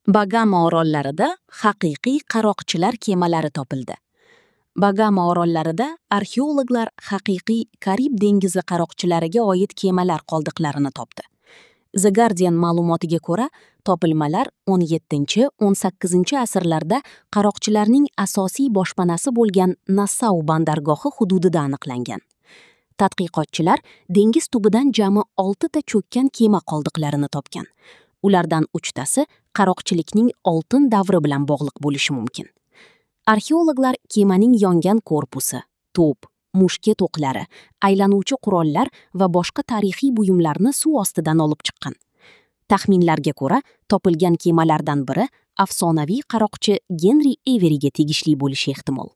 Bagama orollarida haqiqiy qaroqchilar kemalari topildi. Bagama orollarida arxeologlar haqiqiy Karib dengizi qaroqchilariga oid kemalar qoldiqlarini topdi. The Guardian ma'lumotiga ko'ra, topilmalar 17-18 asrlarda qaroqchilarning asosiy boshpanasi bo'lgan Nassau bandargohi hududida aniqlangan. Tadqiqotchilar dengiz tubidan jami 6 ta cho'kkan kema qoldiqlarini topgan. Ulardan 3 tasi qaroqchilikning oltin davri bilan bog'liq bo'lishi mumkin. Arxeologlar kemaning yongan korpusi, to'p, mushket o'qlari, aylanuvchi qurollar va boshqa tarixiy buyumlarni suv ostidan olib chiqqan. Taxminlarga ko'ra, topilgan kemalardan biri afsonaviy qaroqchi Genri Everiga tegishli bo'lishi ehtimol.